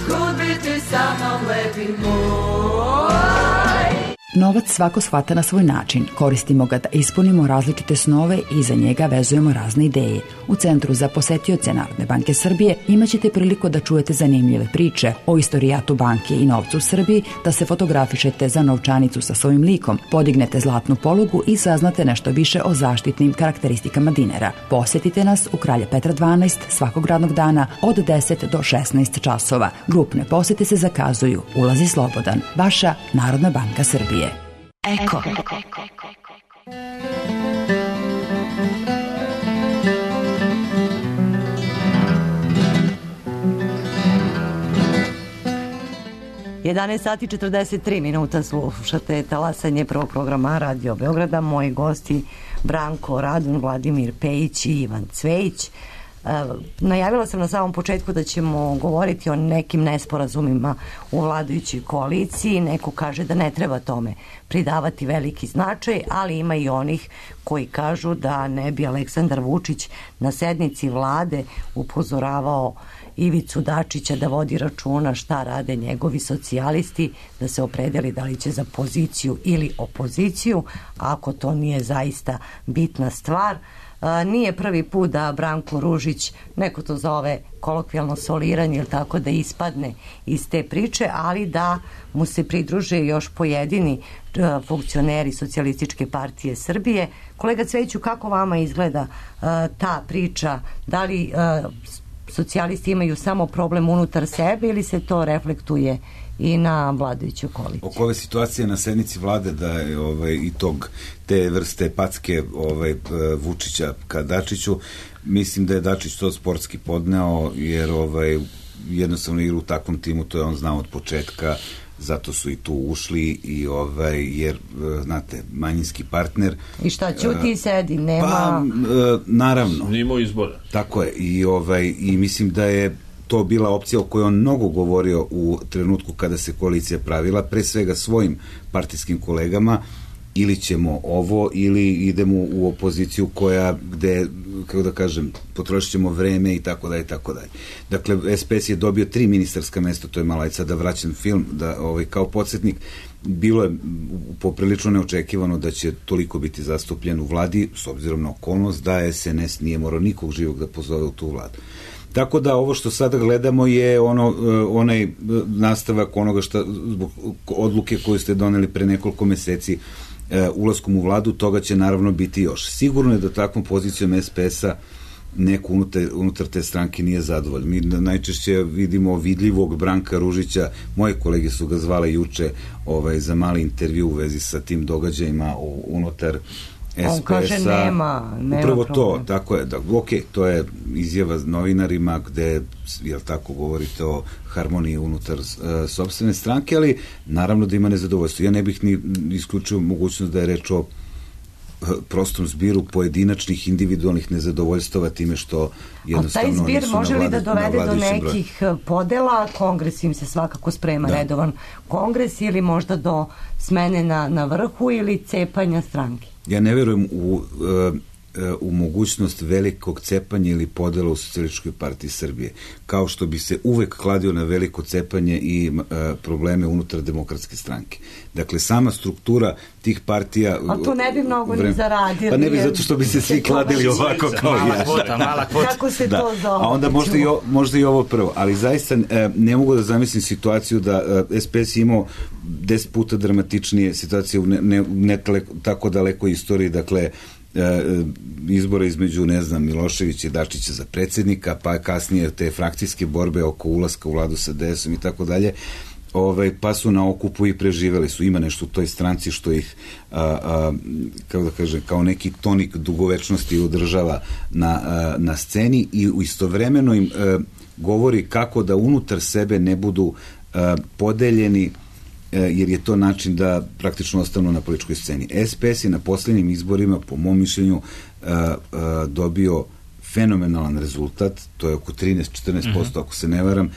S5: Kud bi ti sa mnom lepi moj?
S9: Novac svako shvata na svoj način. Koristimo ga da ispunimo različite snove i za njega vezujemo razne ideje. U Centru za posetioce Narodne banke Srbije imaćete priliku da čujete zanimljive priče o istorijatu banke i novcu u Srbiji, da se fotografišete za novčanicu sa svojim likom, podignete zlatnu polugu i saznate nešto više o zaštitnim karakteristikama dinara. Posetite nas u Kralja Petra 12 svakog radnog dana od 10 do 16 časova. Grupne posete se zakazuju. Ulazi slobodan. Vaša Narodna banka Srbije.
S8: Eko.
S3: 11 sati 43 minuta slušate talasanje prvog programa Radio Beograda. Moji gosti Branko Radun, Vladimir Pejić i Ivan Cvejić. Najavila sam na samom početku da ćemo govoriti o nekim nesporazumima u vladajućoj koaliciji. Neko kaže da ne treba tome pridavati veliki značaj, ali ima i onih koji kažu da ne bi Aleksandar Vučić na sednici vlade upozoravao Ivicu Dačića da vodi računa šta rade njegovi socijalisti, da se opredeli da li će za poziciju ili opoziciju, ako to nije zaista bitna stvar. Nije prvi put da Branko Ružić, neko to zove kolokvijalno soliranje ili tako, da ispadne iz te priče, ali da mu se pridruže još pojedini funkcioneri Socijalističke partije Srbije. Kolega Cvejiću, kako vama izgleda ta priča? Da li socijalisti imaju samo problem unutar sebe ili se to reflektuje i na vladajuću koaliciju?
S6: Oko ove situacije na sednici vlade da je i te vrste packe Vučića ka Dačiću, mislim da je Dačić to sportski podneo, jer jednostavno igra u takvom timu, to je on znao od početka, zato su i tu ušli i jer znate, manjinski partner.
S3: I šta, ćuti i sedi, nema...
S6: Pa, naravno.
S4: Nimo izbora.
S6: Tako je, i mislim da je to bila opcija o kojoj on mnogo govorio u trenutku kada se koalicija pravila, pre svega svojim partijskim kolegama, ili ćemo ovo, ili idemo u opoziciju gde, kako da kažem, potrošit ćemo vreme i tako dalje, i tako dalje. Dakle, SPS je dobio 3 ministarska mesta, to je malo, sad da vraćam film, da kao podsjetnik, bilo je poprilično neočekivano da će toliko biti zastupljen u vladi, s obzirom na okolnost da SNS nije morao nikog živog da pozove u tu vladu. Tako da ovo što sada gledamo je onaj nastavak onoga zbog odluke koju ste doneli pre nekoliko meseci ulaskom u vladu, toga će naravno biti još. Sigurno je da takvom pozicijom SPS-a neko unutar te stranke nije zadovoljan. Mi najčešće vidimo vidljivog Branka Ružića, moje kolege su ga zvale juče za mali intervju u vezi sa tim događajima unutar SPS-a.
S3: On kaže nema
S6: upravo
S3: problem.
S6: To, tako je. To je izjava novinarima gde, jel tako, govorite o harmoniji unutar sopstvene stranke, ali naravno da ima nezadovoljstvo. Ja ne bih ni isključio mogućnost da je reč o prostom zbiru pojedinačnih individualnih nezadovoljstava time što jednostavno nisu na vladi. A taj zbir može li da dovede do nekih podela? Kongres im se svakako sprema, redovan kongres, ili možda do smene na vrhu ili cepanja stranke? Ja ne verujem u mogućnost velikog cepanja ili podela u Socijalističkoj partiji Srbije, kao što bi se uvek kladio na veliko cepanje i probleme unutar Demokratske stranke. Dakle, sama struktura tih partija... A to ne bi mnogo ni zaradili. Pa ne bi, zato što bi se svi kladili ovako kao ja.
S7: Mala kvota.
S3: Kako se to zove?
S6: A onda možda i ovo prvo. Ali zaista ne mogu da zamislim situaciju da SPS imao 10 puta dramatičnije situacije u ne tako dalekoj istoriji, dakle, izbora između, ne znam, Miloševića i Dačića za predsjednika, pa kasnije te frakcijske borbe oko ulaska u vladu sa DS-om i tako dalje, pa su na okupu i preživeli su. Ima nešto u toj stranci što ih, kako da kažem, kao neki tonik dugovečnosti održava na sceni i istovremeno im govori kako da unutar sebe ne budu podeljeni, jer je to način da praktično ostanu na političkoj sceni. SPS je na posljednjim izborima, po mom mišljenju, dobio fenomenalan rezultat, to je oko 13-14%, ako se ne varam,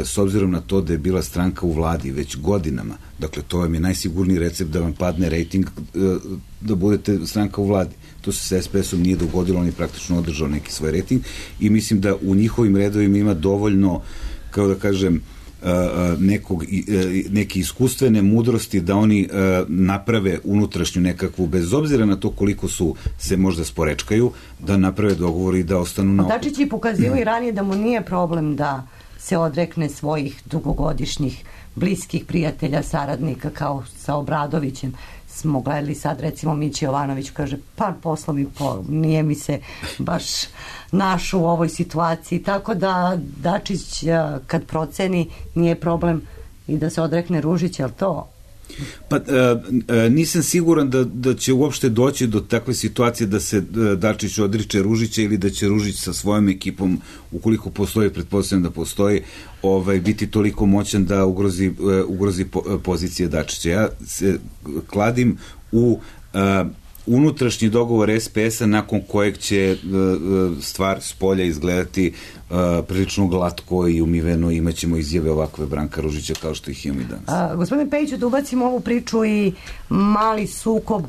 S6: s obzirom na to da je bila stranka u vladi već godinama. Dakle, to vam je najsigurniji recept da vam padne rejting, da budete stranka u vladi. To se sa SPS-om nije dogodilo, on je praktično održao neki svoj rejting i mislim da u njihovim redovima ima dovoljno, kao da kažem, neke iskustvene mudrosti da oni naprave unutrašnju nekakvu, bez obzira na to koliko se možda sporečkaju, da naprave dogovor i da ostanu na okupu.
S3: Dačić je pokazio i ranije da mu nije problem da se odrekne svojih dugogodišnjih bliskih prijatelja, saradnika, kao sa Obradovićem. Smo gledali sad, recimo, Mići Jovanović kaže, pa poslovi nije mi se baš našao u ovoj situaciji, tako da Dačić kad proceni nije problem i da se odrekne Ružića, ali to...
S6: Pa nisam siguran da će uopšte doći do takve situacije da se Dačić odriče Ružića ili da će Ružić sa svojom ekipom, ukoliko postoji, pretpostavljam da postoji, biti toliko moćan da ugrozi pozicije Dačića. Ja se kladim u unutrašnji dogovor SPS-a nakon kojeg će stvar s polja izgledati prilično glatko i umiveno, imaćemo izjave ovakve Branka Ružića kao što ih imamo i danas.
S3: Gospodine Pejiću, da ubacimo ovu priču i mali sukob,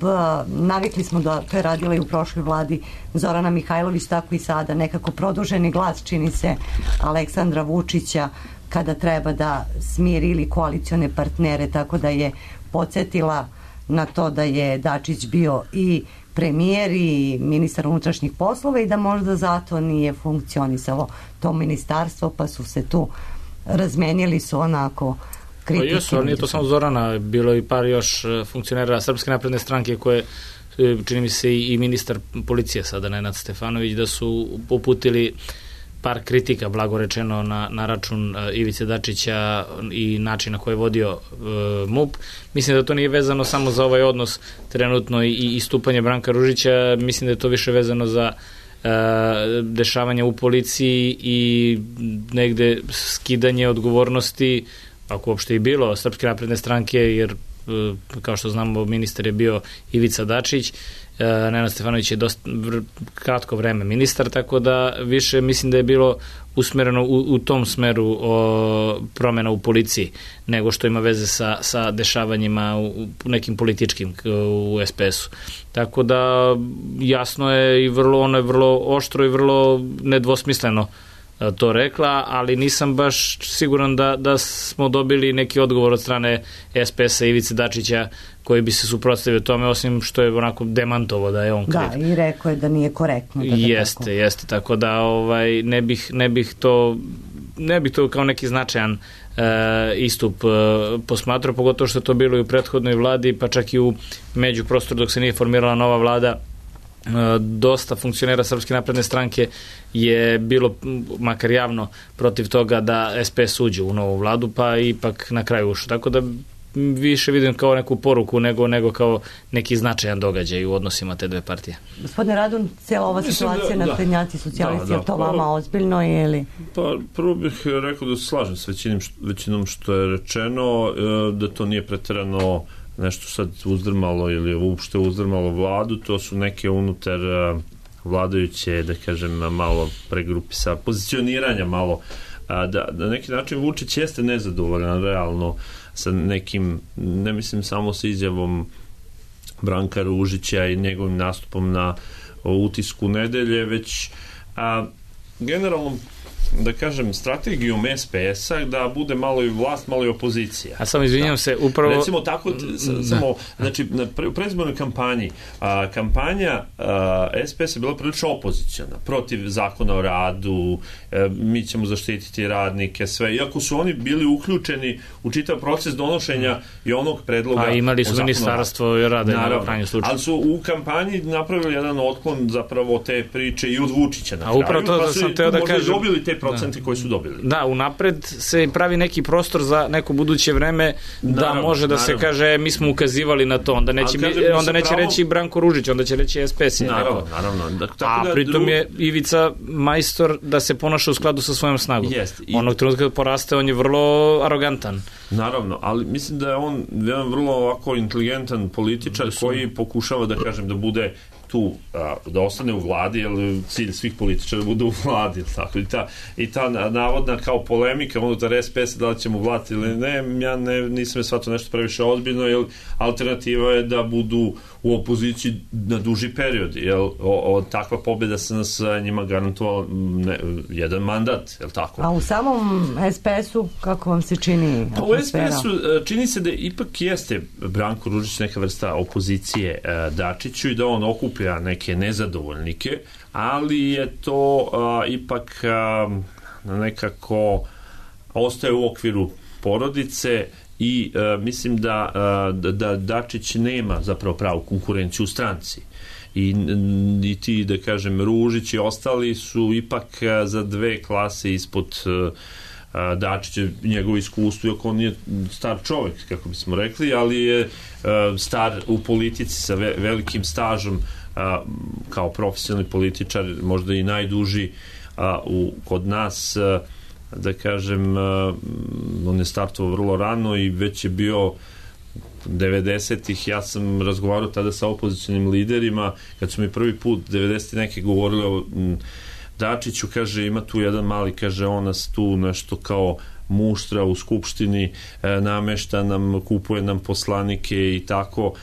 S3: navikli smo da to je radila i u prošloj vladi Zorana Mihajlović, tako i sada, nekako produženi glas, čini se, Aleksandra Vučića kada treba da smiri ili koalicione partnere, tako da je podsjetila na to da je Dačić bio i premijer i ministar unutrašnjih poslova i da možda zato nije funkcionisalo to ministarstvo, pa su se tu razmenili su onako kritike.
S7: Pa jesu, ali nije to samo Zorana, bilo i par još funkcionera Srpske napredne stranke koje, čini mi se i ministar policije sada, Nenad Stefanović, da su uputili par kritika, blago rečeno, na račun Ivice Dačića i način na koji je vodio MUP. Mislim da to nije vezano samo za ovaj odnos trenutno i istupanje Branka Ružića, mislim da je to više vezano za dešavanja u policiji i negde skidanje odgovornosti, ako uopšte i bilo, Srpske napredne stranke, jer kao što znamo ministar je bio Ivica Dačić, Nenad Stefanović je dosta kratko vreme ministar, tako da više mislim da je bilo usmereno u tom smeru promjena u policiji, nego što ima veze sa dešavanjima u nekim političkim u SPS-u. Tako da jasno je i ona je vrlo oštro i vrlo nedvosmisleno to rekla, ali nisam baš siguran da smo dobili neki odgovor od strane SPS-a Ivice Dačića koji bi se suprotstavio tome, osim što je onako demantovo da je on kriv.
S3: Da, i rekao je da nije korektno.
S7: Jeste, tako da ne bih to kao neki značajan istup posmatrao, pogotovo što je to bilo i u prethodnoj vladi, pa čak i u međuprostoru dok se nije formirala nova vlada. Dosta funkcionera Srpske napredne stranke je bilo, makar javno, protiv toga da SPS uđe u novu vladu, pa ipak na kraju ušao. Tako da više vidim kao neku poruku nego kao neki značajan događaj u odnosima te dve partije.
S3: Gospodine Radun, cijela ova situacija na naprednjaci socijalisti, je to vama ozbiljno ili?
S4: Pa prvo bih rekao da se slažem s većinom što je rečeno, da to nije preterano nešto sad uzdrmalo ili uopšte uzdrmalo vladu, to su neke unutar vladajuće, da kažem, malo pregrupisa, pozicioniranja malo, da na neki način Vučić jeste nezadovoljan realno sa nekim, ne mislim samo sa izjavom Branka Ružića i njegovim nastupom na Utisku nedelje, već generalno, da kažem, strategijom SPS-a da bude malo i vlast, malo i opozicija.
S7: A samo izvinjam se, upravo...
S4: Recimo tako, samo, znači, u predizbornoj kampanji, kampanja SPS je bila prilično opozicijana, protiv zakona o radu, mi ćemo zaštititi radnike, sve, iako su oni bili uključeni u čitav proces donošenja i onog predloga.
S7: A imali su ministarstvo i rada,
S4: naravno, ali su u kampanji napravili jedan otklon zapravo te priče i od Vučića na kraju.
S7: A upravo to da sam teo da kažem,
S4: dobili te procenti koji su dobili.
S7: Da, unapred se pravi neki prostor za neko buduće vreme da može da se kaže mi smo ukazivali na to, onda neće reći Branko Ružić, onda će reći SPS.
S4: Naravno.
S7: A pritom je Ivica majstor da se ponaša u skladu sa svojom snagom. Onog trenutka kad poraste, on je vrlo arogantan.
S4: Naravno, ali mislim da je on jedan vrlo ovako inteligentan političar koji pokušava da kažem da bude tu, da ostane u vladi, jer cilj svih političara da bude u vladi, tako, i ta navodna kao polemika unutar SPS da li ćemo vlati ili ne, ja nisam je shvatio nešto previše ozbiljno, jer alternativa je da budu u opoziciji na duži period, jer takva pobjeda se nas njima garantovala jedan mandat, je li tako?
S3: A u samom SPS-u kako vam se čini atmosfera?
S4: U SPS-u čini se da ipak jeste Branko Ružić neka vrsta opozicije Dačiću i da on okuplja neke nezadovoljnike, ali je to ipak nekako ostaje u okviru porodice i mislim da Dačić nema zapravo pravu konkurenciju u stranci. I ti, da kažem, Ružić i ostali su ipak za dve klase ispod Dačića, njegovo iskustvo, iako on je star čovjek, kako bismo rekli, ali je star u politici sa velikim stažom kao profesionalni političar, možda i najduži kod nas, da kažem, on je startovao vrlo rano i već je bio 90-ih, ja sam razgovarao tada sa opozicionim liderima, kad su mi prvi put 90-ih neke govorili o Dačiću, kaže, ima tu jedan mali, kaže, on nas tu nešto kao muštra u skupštini, namešta nam, kupuje nam poslanike i tako,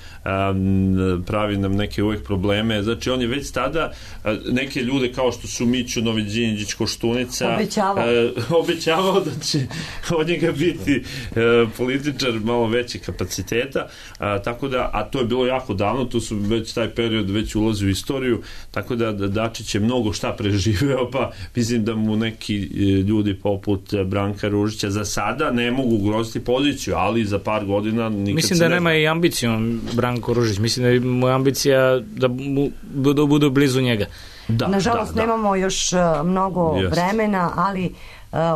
S4: pravi nam neke uvek probleme. Znači on je već tada neke ljude kao što su Miću Noviđinđić Koštunica obećavao da će od njega biti političar malo veće kapaciteta, tako da, a to je bilo jako davno, to su već taj period već ulazi u istoriju, tako da Dačić je mnogo šta preživeo, pa mislim da mu neki ljudi poput Branka Ružića za sada ne mogu ugroziti poziciju, ali za par godina nikad
S7: mislim da nema i ambicijom Branko Ružić, mislim da je moja ambicija da budu blizu njega.
S3: Nažalost nemamo još mnogo vremena, ali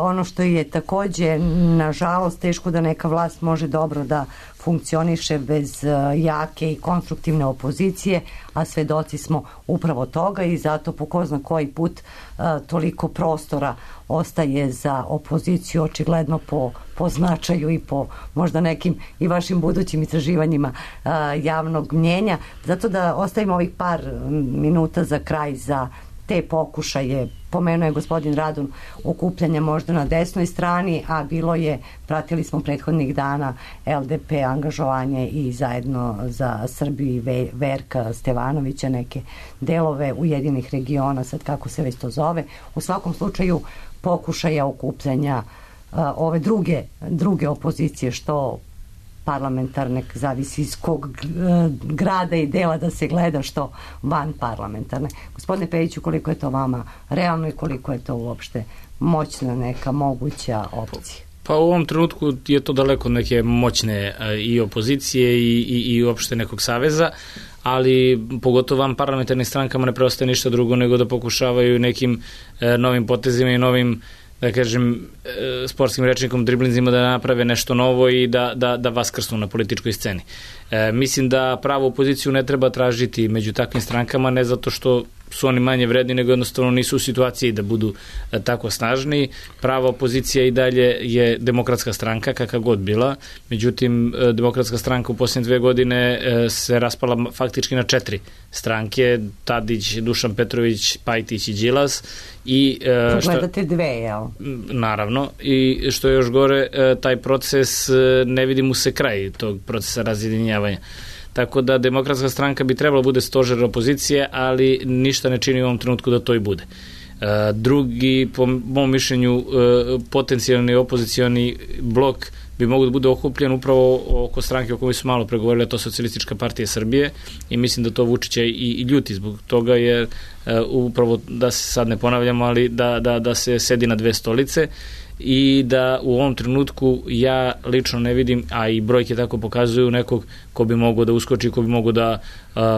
S3: ono što je takođe nažalost teško da neka vlast može dobro da funkcioniše bez jake i konstruktivne opozicije, a svedoci smo upravo toga i zato po ko zna koji put toliko prostora ostaje za opoziciju, očigledno po značaju i po možda nekim i vašim budućim istraživanjima javnog mnjenja. Zato da ostavimo ovih par minuta za kraj za te pokušaje. Pomenuo je gospodin Radun okupljanja možda na desnoj strani, a bilo je, pratili smo prethodnih dana LDP angažovanje i zajedno za Srbiju Verka Stevanovića, neke delove Ujedinih regiona, sad kako se već to zove. U svakom slučaju pokušaja okupljanja ove druge opozicije, što parlamentarne, zavisi iz kog grada i dela da se gleda, što van parlamentarne. Gospodine Pejiću, koliko je to vama realno i koliko je to uopšte moćna neka moguća opcija?
S7: Pa u ovom trenutku je to daleko od neke moćne i opozicije i uopšte nekog saveza, ali pogotovo vam parlamentarnim strankama ne preostaje ništa drugo nego da pokušavaju nekim novim potezima i novim, da kažem, sportskim rečnikom, driblinzima da naprave nešto novo i da vaskrsnu na političkoj sceni. Mislim da pravu opoziciju ne treba tražiti među takvim strankama, ne zato što su oni manje vredni, nego jednostavno nisu u situaciji da budu tako snažni. Prava opozicija i dalje je Demokratska stranka, kakva god bila. Međutim, Demokratska stranka u posljednje 2 godine se raspala faktički na 4 stranke, Tadić, Dušan Petrović, Pajtić i Đilas.
S3: Gledate 2, jel?
S7: Naravno. I što je još gore, taj proces, ne vidi mu se kraj tog procesa razjedinjavanja. Tako da Demokratska stranka bi trebala bude stožer opozicije, ali ništa ne čini u ovom trenutku da to i bude. Drugi, po mom mišljenju, potencijalni opozicioni blok bi mogu da bude okupljen upravo oko stranke o kojoj su malo pregovorili, a to je Socijalistička partija Srbije, i mislim da to Vučića i ljuti zbog toga, jer upravo, da se sad ne ponavljamo, ali da se sedi na 2 stolice i da u ovom trenutku ja lično ne vidim, a i brojke tako pokazuju, nekog ko bi mogao da uskoči, ko bi mogao da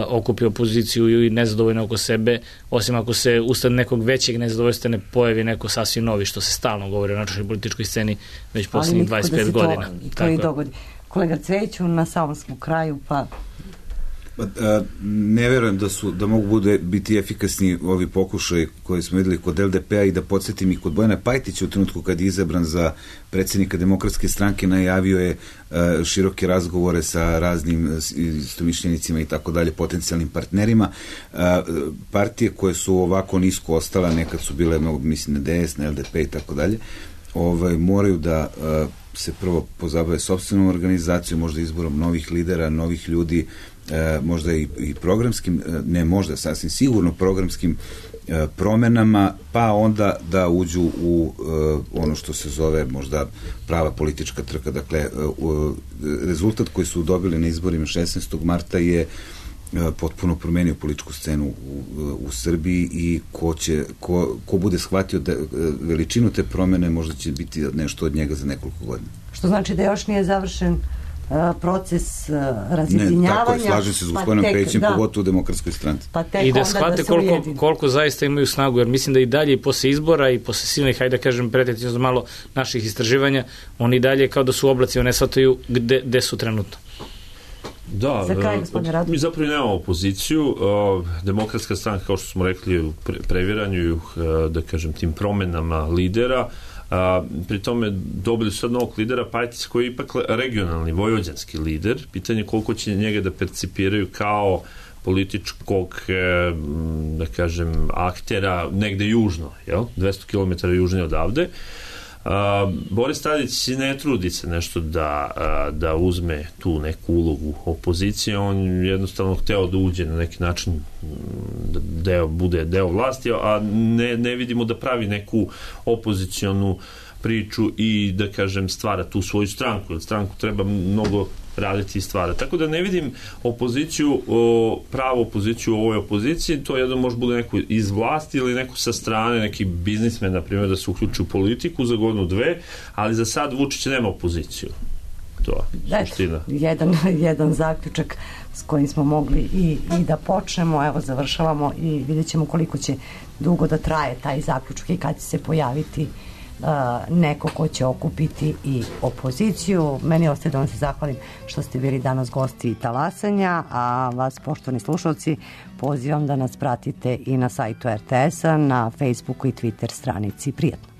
S7: okupi opoziciju i nezadovoljno oko sebe, osim ako se usled nekog većeg nezadovoljstva ne pojavi neko sasvim novi, što se stalno govori o našoj političkoj sceni već poslednjih 25 godina.
S3: To i dogodi. Kolega Cvejiću, na samom smo kraju, pa...
S6: Ne verujem da mogu biti efikasni ovi pokušaj koji smo videli kod LDP-a, i da podsjetim i kod Bojana Pajtića u trenutku kad je izabran za predsjednika Demokratske stranke najavio je široke razgovore sa raznim istomišljenicima i tako dalje, potencijalnim partnerima. Partije koje su ovako nisko ostala, nekad su bile, mislim, na DS, na LDP i tako dalje, moraju da se prvo pozabave sopstvenom organizacijom, možda izborom novih lidera, novih ljudi, možda i programskim, ne možda, sasvim sigurno programskim promenama, pa onda da uđu u ono što se zove možda prava politička trka. Dakle, rezultat koji su dobili na izborima 16. marta je potpuno promenio političku scenu u Srbiji, i ko bude shvatio veličinu te promene, možda će biti nešto od njega za nekoliko godina.
S3: Što znači da još nije završen proces razjedinjavanja.
S6: Ne, tako je, slažem se s gospodinom Pejićem, pogotovo u Demokratskoj stranci.
S7: I da shvate koliko zaista imaju snagu, jer mislim da i dalje i posle izbora i posle silnih, hajde da kažem, pretećno malo naših istraživanja, oni dalje kao da su oblaci, one shvataju gde su trenutno.
S4: Da, mi zapravo nemamo opoziciju. Demokratska stranka, kao što smo rekli, u previranju, da kažem, tim promenama lidera. Pri tome dobili su sad novog lidera Pajtića, koji je ipak regionalni, vojvođanski lider. Pitanje je koliko će njega da percipiraju kao političkog, da kažem, aktera negde južno, 200 km južnije odavde. Boris Tadić ne trudi se nešto da uzme tu neku ulogu opozicije, on jednostavno hteo da uđe na neki način, da bude deo vlasti, a ne vidimo da pravi neku opozicionu priču i da kažem stvara tu svoju stranku, jer stranku treba mnogo raditi i stvara. Tako da ne vidim opoziciju, pravu opoziciju u ovoj opoziciji, to jedno može bude neko iz vlasti ili neko sa strane, neki biznismen, na primjer, da se uključi u politiku za godinu, dve, ali za sad Vučić nema opoziciju. To je suština.
S3: Jedan zaključak s kojim smo mogli i da počnemo, evo završavamo i vidjet ćemo koliko će dugo da traje taj zaključak i kad će se pojaviti neko ko će okupiti i opoziciju. Meni ostaje da vam se zahvalim što ste bili danas gosti Talasanja, a vas, poštovani slušalci, pozivam da nas pratite i na sajtu RTS-a, na Facebooku i Twitter stranici. Prijetno.